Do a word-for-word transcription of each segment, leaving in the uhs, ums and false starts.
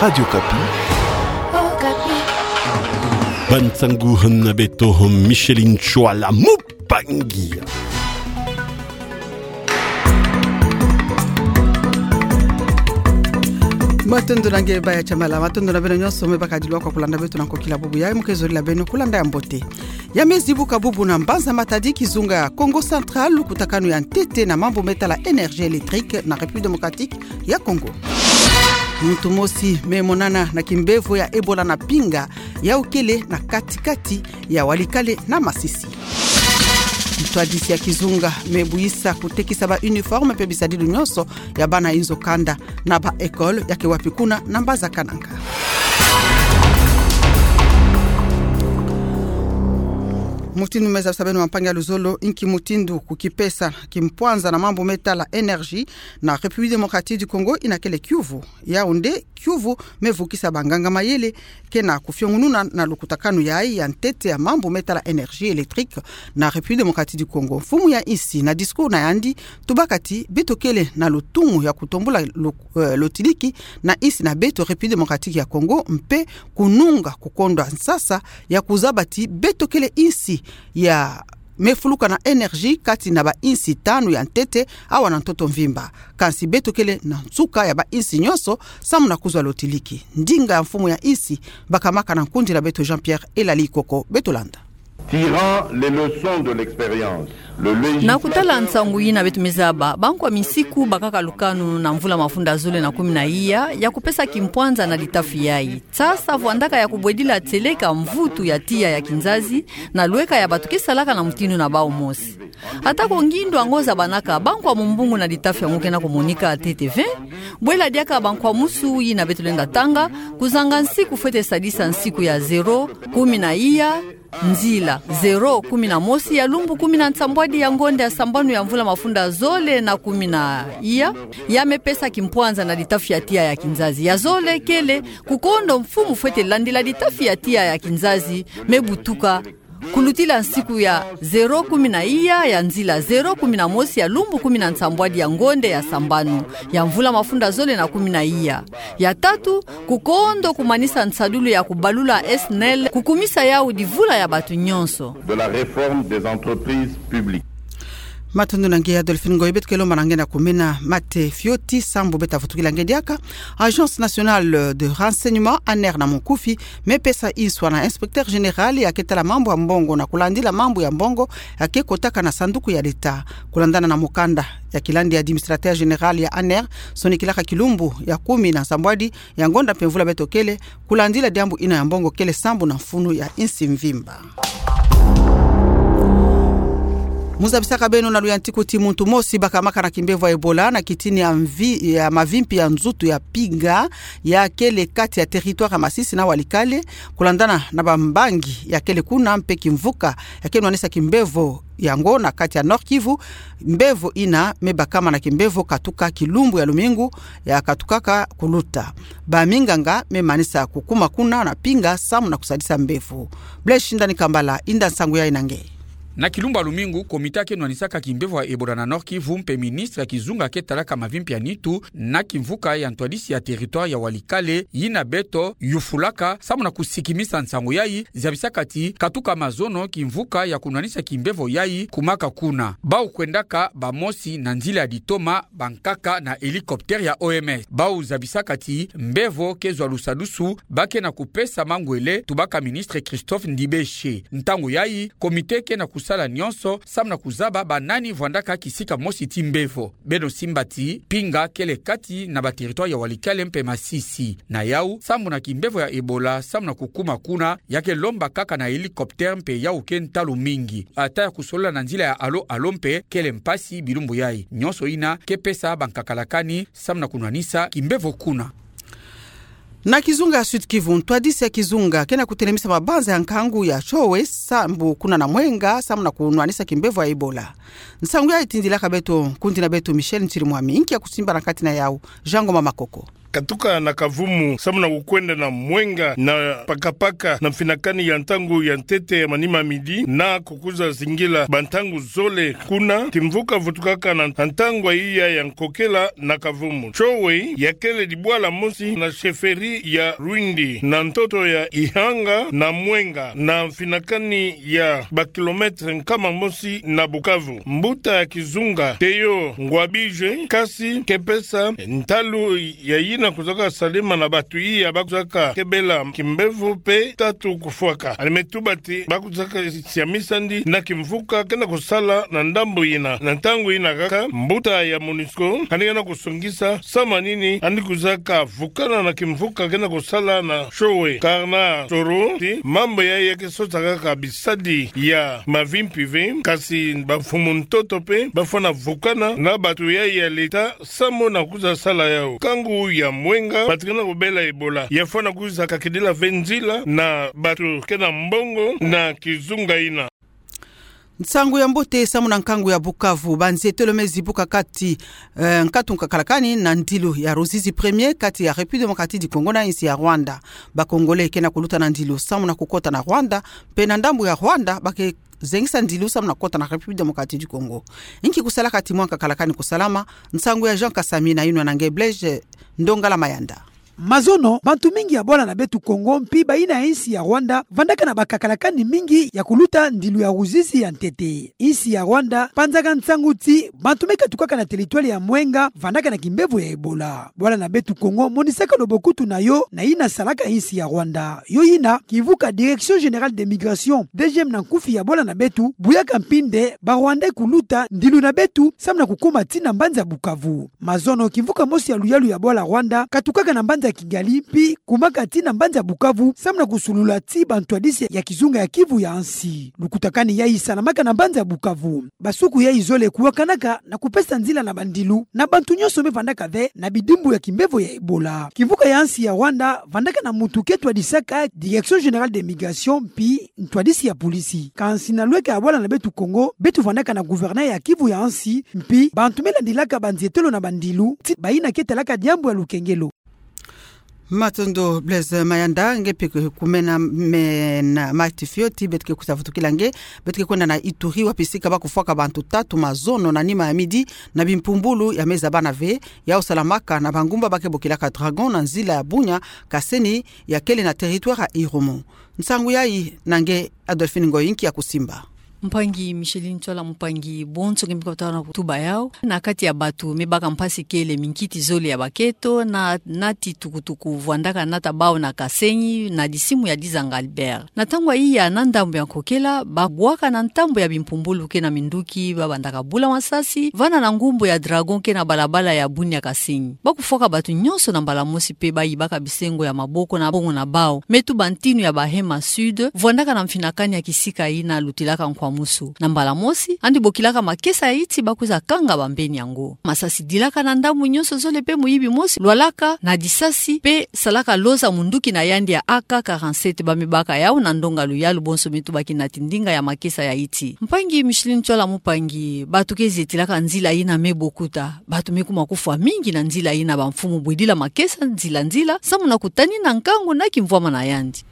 Radio Okapi. Okapi. Bansangu na beto, Micheline Chouala Mupangi. Matondo na nge Baya Chamala, matondo na beno nyonso me bakadilwa kwa kulanda beto na nkokila bubu yayi. Mu ke zola beno kulanda ya mbote. Ya me zibuka bubu na Mbanza Matadi, kizunga Kongo Central, lukutakanu ya ntete na mambu me tala énergie électrique na République démocratique ya Congo. Muntu mosi me monana na kimbevo ya Ebola na Pinga, yau kele na kati-kati ya Walikale na Masisi. Ntwadisi ya kizunga me buisa kutekisa ba uniforme mpe bisadulu nyonso ya bana inzo kanda na ba école ya ke wapi kuna na Mbanza Kananga. Mutindu me zabisa beno, bampangi ya luzolo, inki mutindu kukipesa kimpwanza na mambu me tala énergie na République démocratique du Congo ina kele kiuvu. Yau nde kiuvu me vukisa banganga mayele ke na kufiongununa na lukutakanu yayi ya ntete ya mambu me tala énergie électrique na République démocratique du Congo. Mfumu ya insi na discours na yandi, tubaka ti beto kele na lutumu ya kutombula lo-, eh, lotiliki na insi na beto République démocratique ya Congo, mpe kununga kukondwa nsasa ya kuzaba ti beto kele insi ya me fuluka na énergie kati na ba insi tanu ya ntete awa na ntoto mvimba. Kansi beto kele na nsuka ya ba insi nyonso samu na kuzwa lotiliki. Ndinga ya mfumu ya insi bakamaka na nkundi na beto Jean-Pierre Elali Koko. Beto landa. Tirant les leçons de l'expérience, le législateur... Na kutala nsangu yina beto me zaba, bankwa misiku bakaka lukanu na mvula mafunda zole na kumi na iya ya kupesa kimpwanza na litafi yayi. Sasa vwandaka ya kubwedila tieleka mvutu ya tiya ya kinzazi na lweka ya bato ke salaka na mutindu na bau mosi. Atako ngindu yango zabanaka, bankwa mumbungu na litafi yango ke na kumonika ntete ve. Bwela diaka bankwa musu yina beto lenda tanga, kuzanga nsiku fwete sadisa nsiku ya zéro, kumi na iya, nzila, zéro, kumi na mosi ya lumbu kumi na nsambwadi ya ngonda ya sambanu ya mvula mafunda zole na kumi na iya, ya me pesa kimpwanza na litafi ya tiya ya kinzazi. Ya zole kele, kukondo mfumu fwete landila litafi ya tiya ya kinzazi me butuka kulutila nsiku ya zéro, kumi na iya, ya nzila, zéro, kumi na mosi ya lumbu kumi na nsambwadi ya ngonda ya sambanu ya mvula mafunda zole na kumi na iya. Ya tatu, kukondo kumanisa nsadulu ya kubalula S N E L, kukumisa yau divula ya bato nyonso. De la réforme des entreprises publiques. Matondo na nge Adolphine Ngoy. Beto ke lomba na nge na kumena mate fioti sambu beta vutukila nge diaka. Agence Nationale de Renseignement, ANR na mukufi, me pesa inswa na inspecteur général ya ke tala mambu ya mbongo na kulandila mambu ya mbongo ya ke kotaka na sanduku ya leta. Kulandana na mukanda ya kilandi ya administrateur général ya ANR, sonikilaka kilumbu ya kumi na nsambwadi ya ngonda mpe mvula beto kele, kulandila diambu ina ya mbongo kele sambu na mfunu ya insi mvimba. Mu zabisaka beno na luyantiku ti muntu mosi bakamaka na kimbevo ya Ebola na kitini ya mvi-, ya mavimpi ya nzutu ya Pinga, ya kele kati ya territoire ya Masisi na Walikale, kulandana na bambangi ya kele kuna mpe kimvuka ya ke nwanisa kimbevo yango na kati ya Nord-Kivu. Mbevo ina me bakama na kimbevo katuka kilumbu ya lumingu ya katukaka kuluta. Baminganga me manisa kukuma kuna na Pinga samu na kusadisa mbevo. Blaise Shindani Kambala inda nsangu yayi na nge. Na kilumbu ya lumingu, komite ya ke nwanisaka kimbevo ya Ebola na Nord-Kivu mpe ministre ya kizunga ke talaka mavimpi ya nitu na kimvuka ya ntwadisi ya territoire ya Walikale, yina beto yufulaka samu na kusikimisa nsangu yayi, zabisaka ti katuka mazono kimvuka ya kunwanisa kimbevo yayi kumaka kuna. Bau kwendaka bamosi na nzila ya litoma, bankaka na hélicoptère ya O M S. Bau zabisaka ti mbevo ke zwa lusadusu, ba ke na kupesa mangwele, tubaka ministre Christophe Ndibeshe. Ntangu yayi, komite ke na kusala nyonso samu na kuzaba banani vwandaka kisika mosi ti mbevo. Beno simba ti Pinga kele kati na ba territoire ya Walikale mpe Masisi. Na yau, sambu na kimbevo ya Ebola samu na kukuma kuna, ya ke lomba kaka na hélicoptère mpe yau ke ntalu mingi. Ata ya kusolola na nzila ya alo-alo mpe kele mpasi bilumbu yayi. Nyonso ina ke pesa bankakalakani samu na kunwanisa kimbevo kuna. Na kizunga ya Sud-Kivu, ntwadisi ya kizunga ke na kutelemisa mabanza ya nkangu ya showe sambu kuna na Mwenga samu na kunwanisa kimbevo ya Ebola. Nsangu yayi tindilaka beto nkundi na beto Michel Ntirimwami. Inki ya kusimba na kati na yau? Jean Ngoma Makoko. katuka na Kavumu samu na kukwenda na Mwenga na Pakapaka na mfinakani ya ntangu ya ntete ya manima midi, na kukuiza zingila bantangu zole kuna kimvuka vutukaka na ntangu ya iya ya nkokela na Kavumu. Chowe yakele dibwala mosi na chefferie ya Rwindi, na ntoto ya Ihanga na Mwenga, na mfinakani ya bakilometre nkama mosi na Bukavu. Mbuta ya kizunga Théo Ngwabije, kasi ke pesa ntalu ya yina kuzaka salama na batu iya bakuzaka kebela kimbevo mpe tatu kufwaka. Yandi me tuba ti bakuzaka siamisa ndi na kimvuka kena kusala na ndambu yina. Na ntangu yina kaka, mbuta ya MONUSCO yandi kena kusongisa samu na nini yandi kuzaka vukana na kimvuka kena kusala na chowe. Karna Toro ti mambu yayi ke sota kaka bisadi ya mavimpi ve, kasi bamfumu ntoto mpe bafwana vukana na batu yayi ya leta samu na kuiza sala yau. Nkangu ya Mwenga batu kena kubela Ebola yafwana kuiza kakidila ve nzila na batu kena mbongo na kizunga yina. Nsangu ya mbote samu na nkangu ya Bukavu. Banzietelo me zibuka kati, eh, nkatu nkakalakani na ndilu ya Ruzizi premier kati ya République Démocratique du Congo na insi ya Rwanda. Ba Congolais kena kuluta na ndilu samu na kukota na Rwanda, mpe na ndambu ya Rwanda ba ke zengisa ndilu samu na kukota na République Démocratique du Congo. Inki kusalaka ti mwa nkakalakani kusalama? Nsangu ya Jean Kasami na yinwa na nge Blaise Ndongala Mayanda. Mazono, bantu mingi ya bwala na beto Kongo mpi bayina ya insi ya Rwanda vandaka na bakakalakani mingi ya kuluta ndilu ya Ruzizi ya ntete. Insi ya Rwanda panzaka nsangu ti bantu me katukaka na territoire ya Mwenga vandaka na kimbevo ya Ebola. Bwala na beto Kongo monisaka lobokutuna yo na yina salaka insi ya Rwanda. Yo yina kivuka Direction Générale des Migrations, D G M na nkufi ya bwala na beto, buyaka mpinde ba Rwandais kuluta ndilu na beto samu na kukuma tii na mbanza Bukavu. Mazono, kivuka mosi ya luyalu ya bwala Rwanda katukaka na mbanza Kigali mpi kumaka tii na mbanza Bukavu samu na kusulula tii bantwadisi ya kizunga ya Kivu ya nsi. Lukutakani yayi salamaka na mbanza Bukavu. Basuku yayi zole kuwakanaka na kupesa nzila na bandilu na bantu nyonso me vandaka ve na bidimbu ya kimbevo ya Ebola. Kivuka ya nsi ya Rwanda vandaka na mutu ke twadisaka Direction Générale des Migrations mpi ntwadisi ya polisi. Kansi na lweka ya bwala na beto Kongo, beto vandaka na gouverneur ya Kivu ya nsi, mpi bantu me landilaka banzietelo na bandilu ti bayina ke talaka diambu ya lukengelo. Matondo Blaise Mayanda. Nge mpe kumena me na mati fioti, beto ke kusavutukila nge, beto ke kwenda na Ituri, wapi sika ba kufwaka bantu tatu mazono na nima ya midi na bimpumbulu ya me zabana ve, yau salamaka na bangumba ba ke bokilaka Dragon na nzila ya Bunia Kaseni ya kele na territoire ya Irumu. Nsangu yayi na nge Adolphine Ngoyi, nki ya kusimba? Mpangi Micheline Tsola, mpangi bonso nge mbi kota na kutuba yau. Na kati ya batu me baka mpasi kele minkiti zole ya baketo, na nati tukutuku vandaka nata bau na Kasenyi, na disimu ya Dizanga Albert. Na ntangu ya iya na ndambu ya nkokela, ba bwaka na ntambu ya bimpumbulu ke na minduki, ba bandaka bula masasi vana na ngumbu ya Dragon ke na balabala ya Bunia Kasenyi. Ba kufwaka batu nyonso na mbala mosi mpe ba yibaka bisengo ya maboko na bongo na bau. Me tuba ntinu ya Bahema Sud, vandaka na mfinakani ya kisika yina lutilaka Nkwamusu. Na mbala mosi, yandi bokilaka makesa ya iti ba kwiza kanga bambeni yango. Masasi dilaka na ndambu nyonso zole mpe muyibi mosi lwalaka na disasi mpe salaka loza munduki na yandi ya A K quarante-sept ba me baka yau na ndonga luyalu bonso me tubaki nati ndinga ya makesa ya iti. Mpangi Micheline Tsola, mpangi, batu ke zetilaka nzila yina me bokuta, batu me kuma kufwa mingi na nzila yina, bamfumu bwedila makesa nzila nzila samu na kutanina nkangu na kimvwama na yandi.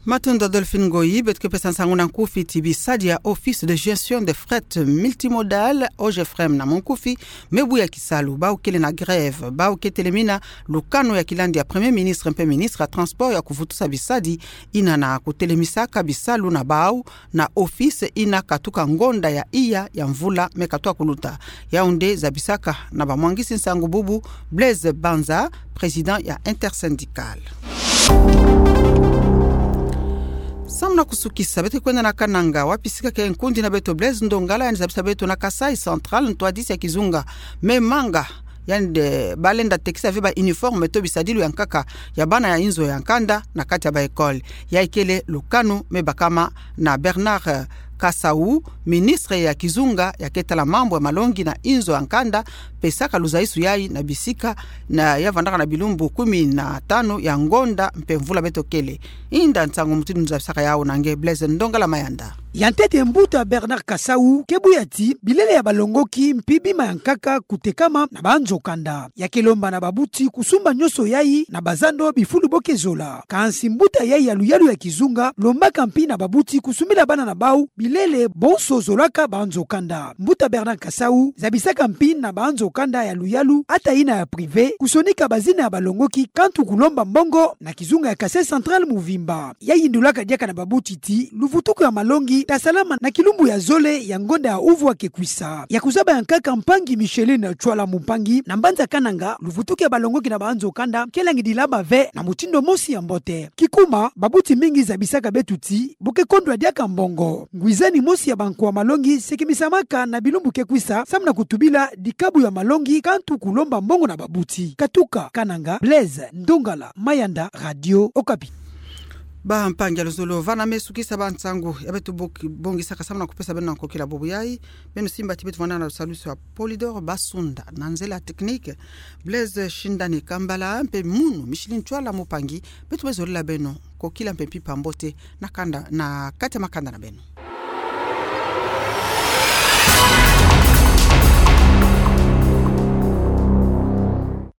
Matondo Adolphine Ngoyi. Beto ke pesa nsangu na nkufi ti bisadi ya Office de Gestion de Fret Multimodal, OGFREM na munkufi, me buya kisalu. Bau kele na grève, bau ke telemina lukanu ya kilandi ya Premier Ministre mpe Ministre ya Transport ya kuvutusa bisadi yina na kutelemisaka bisalu na bau na office yina katuka ngonda ya iya ya mvula me katuka kuluta. Yau nde zabisaka na bamwangisi nsangu bubu Blaise Banza, président ya Intersyndicale. Samu na kusukisa, beto ke kwenda na Kananga, wapi sika ke nkundi na beto Blaise Ndongala, yandi zabisa beto na Kasaï Central, ntwadisi ya kizunga me manga yandi, eh, ba lenda tekisa ve ba uniforme to bisadilu ya nkaka ya bana ya inzo ya nkanda na kati ya ba école. Yayi kele lukanu me bakama na Bernard, eh, Kasau, ministre ya kizunga ya ke tala mambu ya malongi na inzo ya nkanda, pesaka luzaisu yayi na bisika na ya vandaka na bilumbu kumi na tanu ya ngonda mpe mvula beto kele. Inda nsangu mutindu nzabisaka yau na nge Blaise Ndongala Mayanda. Ya ntete mbuta Bernard Kasau ke buya ti bilele ya balongoki mpi bima ya nkaka kutekama na banzo kanda. Ya ke lomba na babuti kusumba nyonso yayi na bazando bifulu bo ke zola. Kansi mbuta yayi ya luyalu ya kizunga lombaka mpi na babuti kusumbila bana na bau bilele bonso zolaka banzo kanda. Mbuta Bernard Kasau zabisaka mpi na banzo kanda ya luyalu ata yina ya privé kusonika bazina ya balongoki kantu kulomba mbongo na kizunga ya Kasaï Central muvimba. Ya yindulaka diaka na babuti ti luvutuku ya malongi ta salama na kilumbu ya zole ya ngonda ya uvua ke kwisa. Ya kuzaba ya nkaka mpangi Micheline Tswala Mumpangi na mbanza Kananga, luvutuku ya balongoki na banzo kanda ke langidila bave na mutindu mosi ya mbote. Kikuma, babuti mingi zabisaka beto ti bo ke kondwa diaka mbongo. Ngwizani mosi ya bankwa malongi se ke misamaka na bilumbu ke kwisa samu na kutubila dikabu ya malongi kantu kulomba mbongo na babuti. Katuka Kananga, Blaise Ndongala Mayanda, Radio Okapi. Bampangi ya luzolo, vana me sukisa bansangu ya beto bo-, bongisaka samu na kupesa beno na nkokila bubu yayi. Beno simba ti beto vwanda na lusalusu ya Polidor Basunda, na nzela technique Blaise Shindani Kambala, mpe munu Micheline Tswala Mumpangi, beto me zolila beno nkokila mpe mpimpa mbote na kanda, na kati ya makanda na beno.